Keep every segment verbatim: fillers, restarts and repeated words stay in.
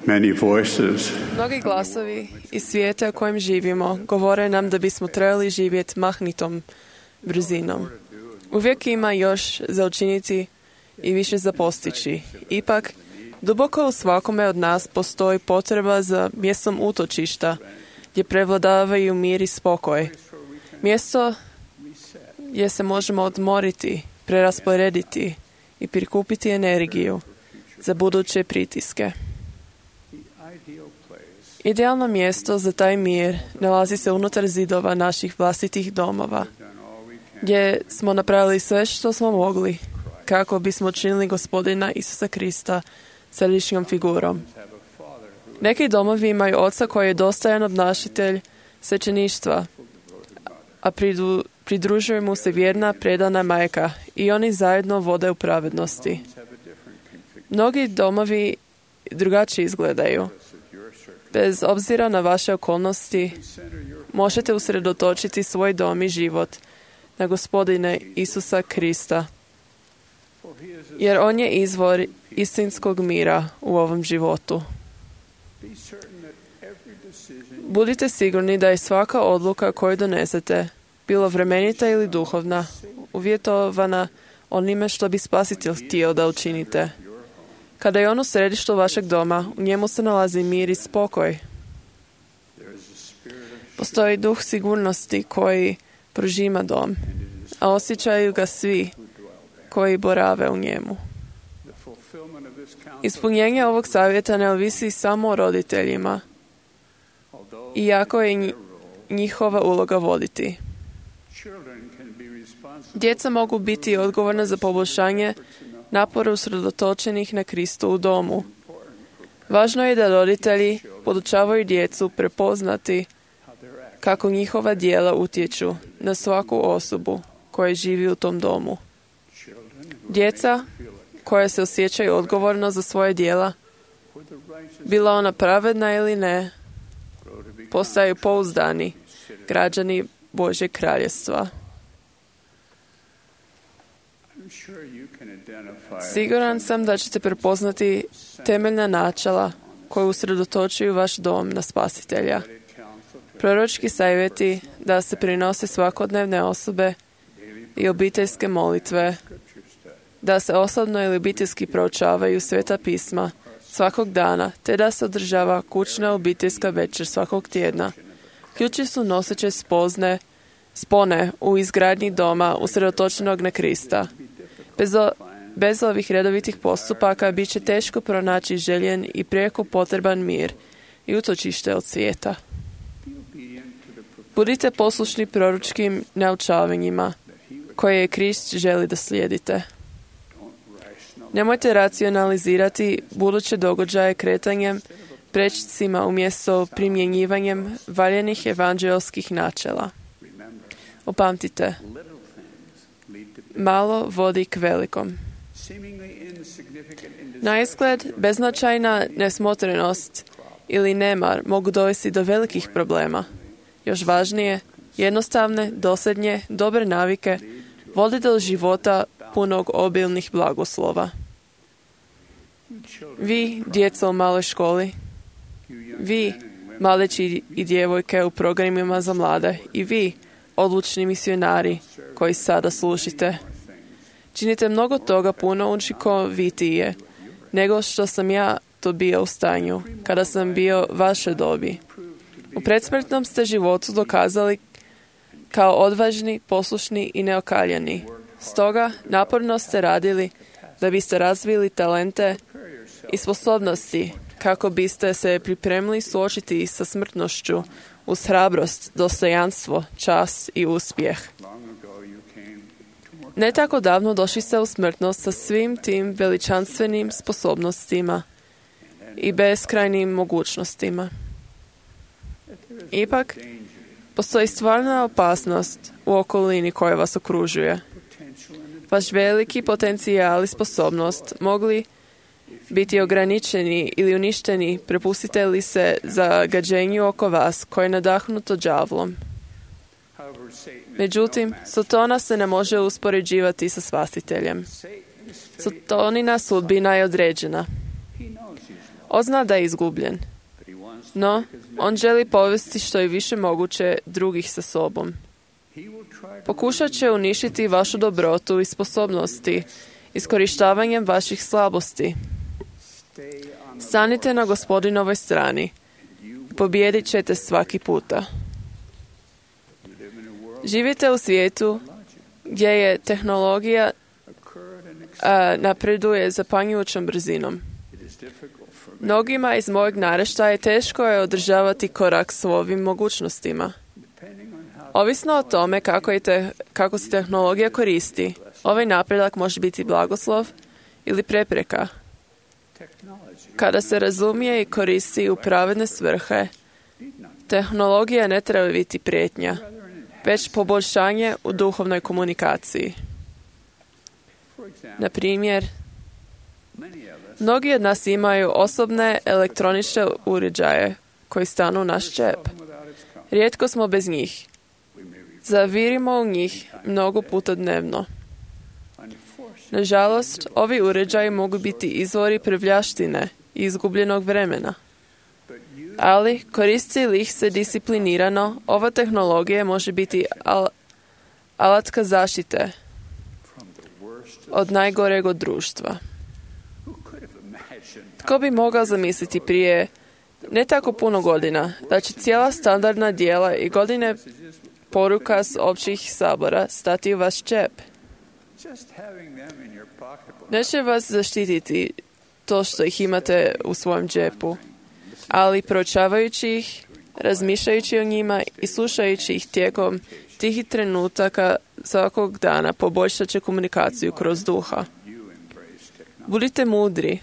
Many voices Mnogi glasovi iz svijeta u kojem živimo govore nam da bismo trebali živjeti mahnitom brzinom. Uvijek ima još za učiniti i više za postići. Ipak, duboko u svakome od nas postoji potreba za mjestom utočišta gdje prevladavaju mir i spokoj. Mjesto gdje se možemo odmoriti, prerasporediti i prikupiti energiju za buduće pritiske. Idealno mjesto za taj mir nalazi se unutar zidova naših vlastitih domova, gdje smo napravili sve što smo mogli kako bismo činili Gospodina Isusa Krista središnjom figurom. Neki domovi imaju oca koji je dostojan obnašatelj svećeništva, a pridu, pridružuje mu se vjerna predana majka i oni zajedno vode u pravednosti. Mnogi domovi drugačije izgledaju. Bez obzira na vaše okolnosti, možete usredotočiti svoj dom i život na Gospodina Isusa Krista, jer On je izvor istinskog mira u ovom životu. Budite sigurni da je svaka odluka koju donesete, bilo vremenita ili duhovna, uvjetovana onime što bi Spasitelj htio da učinite. Kada je on u središtu vašeg doma, u njemu se nalazi mir i spokoj. Postoji duh sigurnosti koji prožima dom, a osjećaju ga svi koji borave u njemu. Ispunjenje ovog savjeta ne ovisi samo o roditeljima, iako je njihova uloga voditi. Djeca mogu biti odgovorna za poboljšanje napora usredotočenih na Kristu u domu. Važno je da roditelji podučavaju djecu prepoznati kako njihova djela utječu na svaku osobu koja živi u tom domu. Djeca koja se osjećaju odgovorno za svoje djela, bila ona pravedna ili ne, postaju pouzdani građani Božjeg kraljevstva. Siguran sam da ćete prepoznati temeljna načela koje usredotočuju vaš dom na Spasitelja. Proročki savjeti da se prinose svakodnevne osobe i obiteljske molitve, da se osobno ili obiteljski proučavaju Sveta pisma svakog dana, te da se održava kućna obiteljska večer svakog tjedna. Ključi su noseće spozne, spone u izgradnji doma usredotočenog na Krista. Bez, o, bez ovih redovitih postupaka bit će teško pronaći željen i prijeko potreban mir i utočište od svijeta. Budite poslušni proročkim naučavanjima koje je Krist želi da slijedite. Nemojte racionalizirati buduće događaje kretanjem prečicima umjesto primjenjivanjem valjenih evanđelskih načela. Upamtite, malo vodi k velikom. Na izgled, beznačajna nesmotrenost ili nemar mogu dovesti do velikih problema. Još važnije, jednostavne, dosljednje, dobre navike vode do života punog obilnih blagoslova. Vi, djeca u maloj školi, vi, mladeći i djevojke u programima za mlade, i vi, odlučni misionari koji sada slušite, činite mnogo toga puno učinkovitije nego što sam ja to bio u stanju kada sam bio vaše dobi. U predsmrtnom ste životu dokazali kao odvažni, poslušni i neokaljani. Stoga naporno ste radili da biste razvili talente i sposobnosti kako biste se pripremili suočiti sa smrtnošću uz hrabrost, dostojanstvo, čast i uspjeh. Ne tako davno došli ste u smrtnost sa svim tim veličanstvenim sposobnostima i beskrajnim mogućnostima. Ipak, postoji stvarna opasnost u okolini koja vas okružuje. Vaš veliki potencijal i sposobnost mogli biti ograničeni ili uništeni prepustite li se zagađenju oko vas koje je nadahnuto đavlom. Međutim, Satana se ne može uspoređivati sa Spasiteljem. Satanina sudbina je određena. On zna da je izgubljen. No, on želi povesti što je više moguće drugih sa sobom. Pokušat će uništiti vašu dobrotu i sposobnosti, iskorištavanjem vaših slabosti. Stanite na Gospodinovoj strani. Pobijedit ćete svaki puta. Živite u svijetu gdje je tehnologija a, napreduje zapanjujućom brzinom. Mnogima iz mojeg naraštaja teško je održavati korak s ovim mogućnostima. Ovisno o tome kako, je te, kako se tehnologija koristi, ovaj napredak može biti blagoslov ili prepreka. Kada se razumije i koristi u pravedne svrhe, tehnologija ne treba biti prijetnja, već poboljšanje u duhovnoj komunikaciji. Na primjer, mnogi od nas imaju osobne elektroničke uređaje koji stanu u naš džep. Rijetko smo bez njih. Zavirimo u njih mnogo puta dnevno. Nažalost, ovi uređaji mogu biti izvori prljavštine i izgubljenog vremena. Ali, koristi li ih se disciplinirano, ova tehnologija može biti al- alatka zaštite od najgoreg od društva. Tko bi mogao zamisliti prije ne tako puno godina da će cijela standardna dijela i godine poruka s općih sabora stati u vaš džep? Neće vas zaštititi to što ih imate u svojem džepu, ali proučavajući ih, razmišljajući o njima i slušajući ih tijekom tih trenutaka svakog dana poboljšat će komunikaciju kroz duha. Budite mudri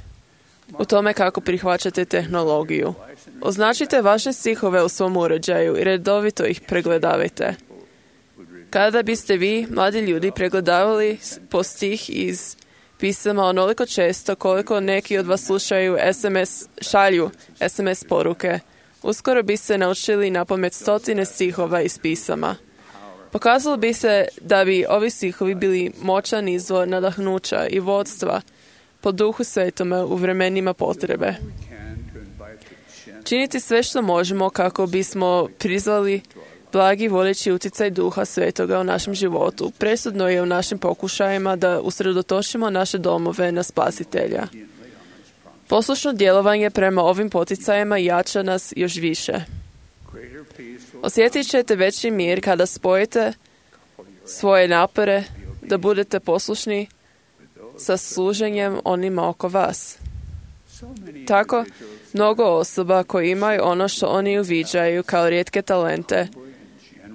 u tome kako prihvaćate tehnologiju. Označite vaše stihove u svom uređaju i redovito ih pregledavajte. Kada biste vi, mladi ljudi, pregledavali po stih iz pisama onoliko često koliko neki od vas slušaju S M S, šalju S M S poruke, uskoro bi se naučili napamet stotine stihova iz pisama. Pokazalo bi se da bi ovi stihovi bili moćan izvor nadahnuća i vodstva po duhu svetome u vremenima potrebe. Činiti sve što možemo kako bismo prizvali blagi vodeći utjecaj duha svetoga u našem životu. Presudno je u našim pokušajima da usredotočimo naše domove na Spasitelja. Poslušno djelovanje prema ovim poticajima jača nas još više. Osjetit ćete veći mir kada spojite svoje napore da budete poslušni sa služenjem onima oko vas. Tako, mnogo osoba koji imaju ono što oni uviđaju kao rijetke talente,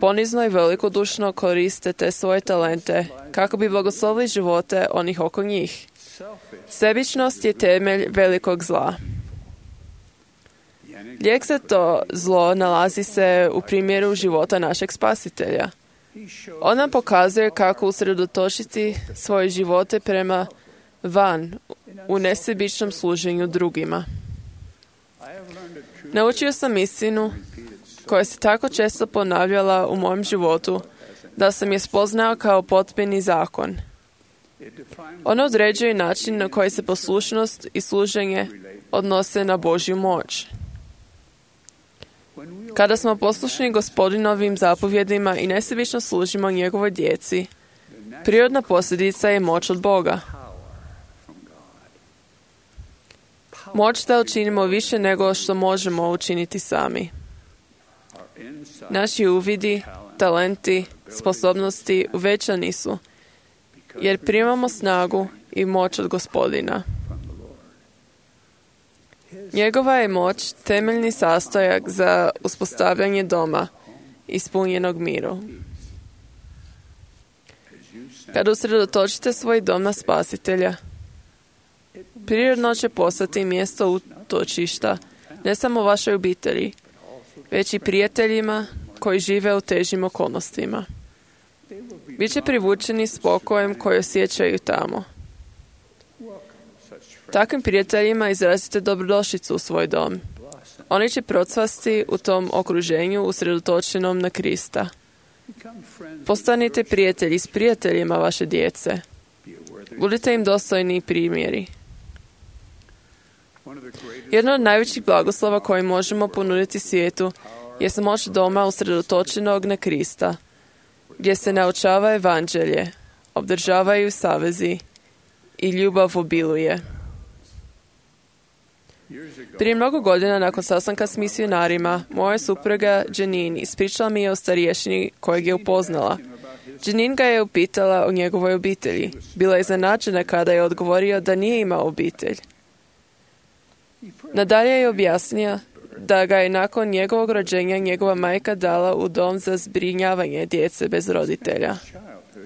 ponizno i velikodušno koriste te svoje talente kako bi blagoslovili živote onih oko njih. Sebičnost je temelj velikog zla. Lijek za to zlo nalazi se u primjeru života našeg Spasitelja. On nam pokazuje kako usredotočiti svoje živote prema van u nesebičnom služenju drugima. Naučio sam istinu koja se tako često ponavljala u mojem životu da sam je spoznao kao potpuni zakon. Ono određuje način na koji se poslušnost i služenje odnose na Božju moć. Kada smo poslušni Gospodinovim zapovjedima i nesebično služimo njegovoj djeci, prirodna posljedica je moć od Boga. Moć da učinimo više nego što možemo učiniti sami. Naši uvidi, talenti, sposobnosti uvećani su, jer primamo snagu i moć od Gospodina. Njegova je moć temeljni sastojak za uspostavljanje doma ispunjenog miru. Kada usredotočite svoj dom na Spasitelja, prirodno će postati mjesto utočišta ne samo vašoj obitelji, već i prijateljima koji žive u težim okolnostima. Biće privučeni spokojem koji osjećaju tamo. Takvim prijateljima izrazite dobrodošlicu u svoj dom. Oni će procvasti u tom okruženju usredotočenom na Krista. Postanite prijatelji s prijateljima vaše djece. Budite im dostojni primjeri. Jedno od najvećih blagoslova koji možemo ponuditi svijetu je moć doma usredotočenog na Krista, gdje se naučava evanđelje, obdržavaju savezi i ljubav obiluje. Prije mnogo godina, nakon sastanka s misionarima, moja supruga Janine ispričala mi je o starješini kojeg je upoznala. Janine ga je upitala o njegovoj obitelji. Bila je iznenađena kada je odgovorio da nije imao obitelj. Nadalje je objasnio da ga je nakon njegovog rođenja njegova majka dala u dom za zbrinjavanje djece bez roditelja.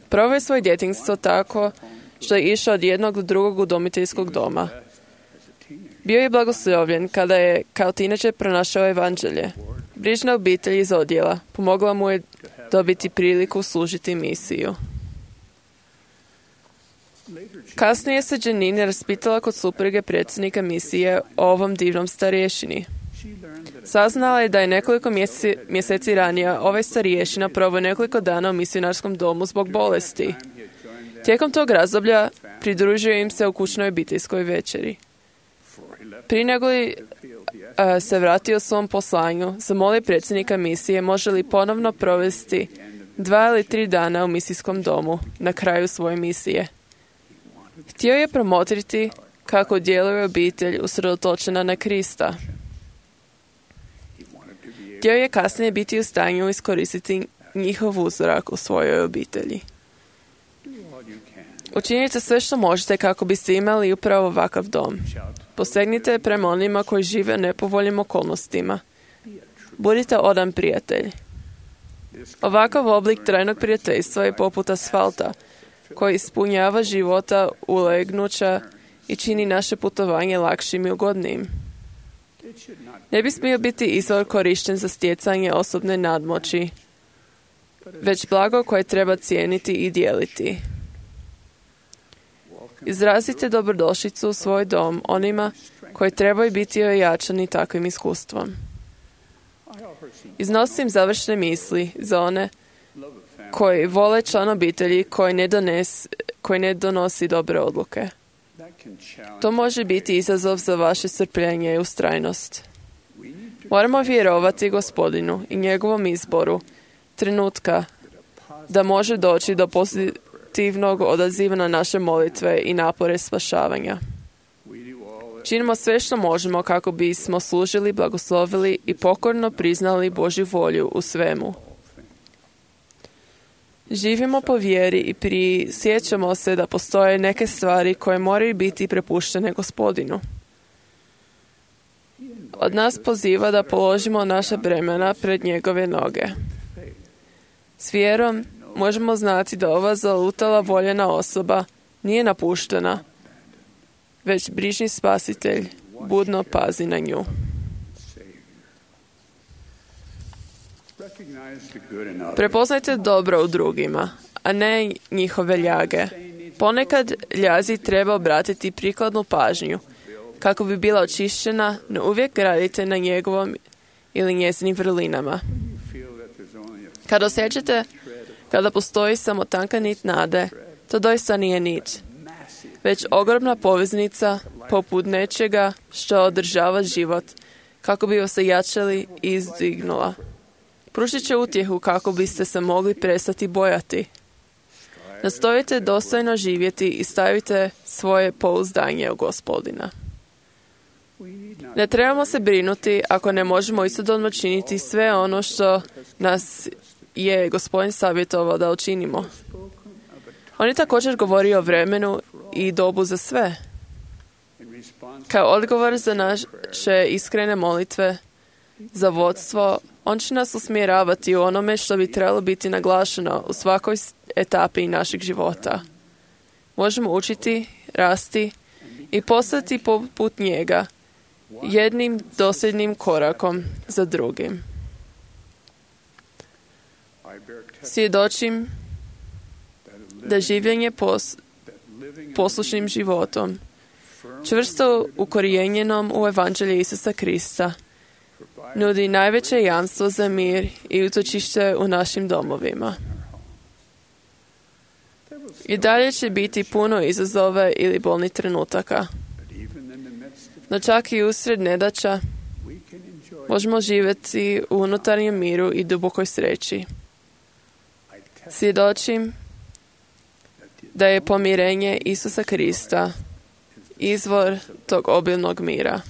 Proveo je svoje djetinjstvo tako što je išao od jednog do drugog udomiteljskog doma. Bio je blagoslovljen kada je kao tineđer pronašao evanđelje. Brižna obitelj iz odjela pomogla mu je dobiti priliku služiti misiju. Kasnije se Janine raspitala kod supruge predsjednika misije o ovom divnom starješini. Saznala je da je nekoliko mjeseci, mjeseci ranije ovaj starješina proveo nekoliko dana u misionarskom domu zbog bolesti. Tijekom tog razdoblja pridružio im se u kućnoj obiteljskoj večeri. Prije nego li a, se vratio svom poslanju, zamolio predsjednika misije može li ponovno provesti dva ili tri dana u misijskom domu na kraju svoje misije. Htio je promotriti kako djeluje obitelj usredotočena na Krista. Htio je kasnije biti u stanju iskoristiti njihov uzorak u svojoj obitelji. Učinite sve što možete kako biste imali upravo ovakav dom. Posegnite prema onima koji žive u nepovoljnim okolnostima. Budite odan prijatelj. Ovakav oblik trajnog prijateljstva je poput asfalta, koji ispunjava života ulegnuća i čini naše putovanje lakšim i ugodnijim. Ne bi smio biti izvor korišten za stjecanje osobne nadmoći, već blago koje treba cijeniti i dijeliti. Izrazite dobrodošlicu u svoj dom onima koji trebaju biti ojačani takvim iskustvom. Iznosim završne misli za one koji vole član obitelji koji ne, dones, koji ne donosi dobre odluke. To može biti izazov za vaše strpljenje i ustrajnost. Moramo vjerovati Gospodinu i njegovom izboru trenutka da može doći do pozitivnog odaziva na naše molitve i napore spašavanja. Činimo sve što možemo kako bismo služili, blagoslovili i pokorno priznali Božju volju u svemu. Živimo po vjeri i prisjećamo se da postoje neke stvari koje moraju biti prepuštene Gospodinu. Od nas poziva da položimo naša bremena pred njegove noge. S vjerom možemo znati da ova zalutala voljena osoba nije napuštena, već brižni spasitelj budno pazi na nju. Prepoznajte dobro u drugima, a ne njihove ljage. Ponekad ljazi treba obratiti prikladnu pažnju, kako bi bila očišćena, no uvijek radite na njegovom ili njezinim vrlinama. Kad osjećate kada postoji samo tanka nit nade, to doista nije nit, već ogromna poveznica poput nečega što održava život, kako bi vas jačali i izdignula. Pružit će utjehu kako biste se mogli prestati bojati. Nastojite dostojno živjeti i stavite svoje pouzdanje u Gospodina. Ne trebamo se brinuti ako ne možemo istodobno činiti sve ono što nas je Gospodin savjetovao da učinimo. On je također govorio o vremenu i dobu za sve. Kao odgovor za naše iskrene molitve za vodstvo, on će nas usmjeravati u onome što bi trebalo biti naglašeno u svakoj etapi našeg života. Možemo učiti, rasti i postati poput njega, jednim dosljednim korakom za drugim. Svjedočim da življenje pos, poslušnim životom, čvrsto ukorijenjenom u evanđelje Isusa Krista, nudi najveće jamstvo za mir i utočište u našim domovima. I dalje će biti puno izazova ili bolnih trenutaka. No čak i usred nedaća možemo živjeti u unutarnjem miru i dubokoj sreći. Svjedočim da je pomirenje Isusa Krista izvor tog obilnog mira.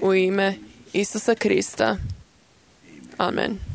U ime Isusa Krista. Amen.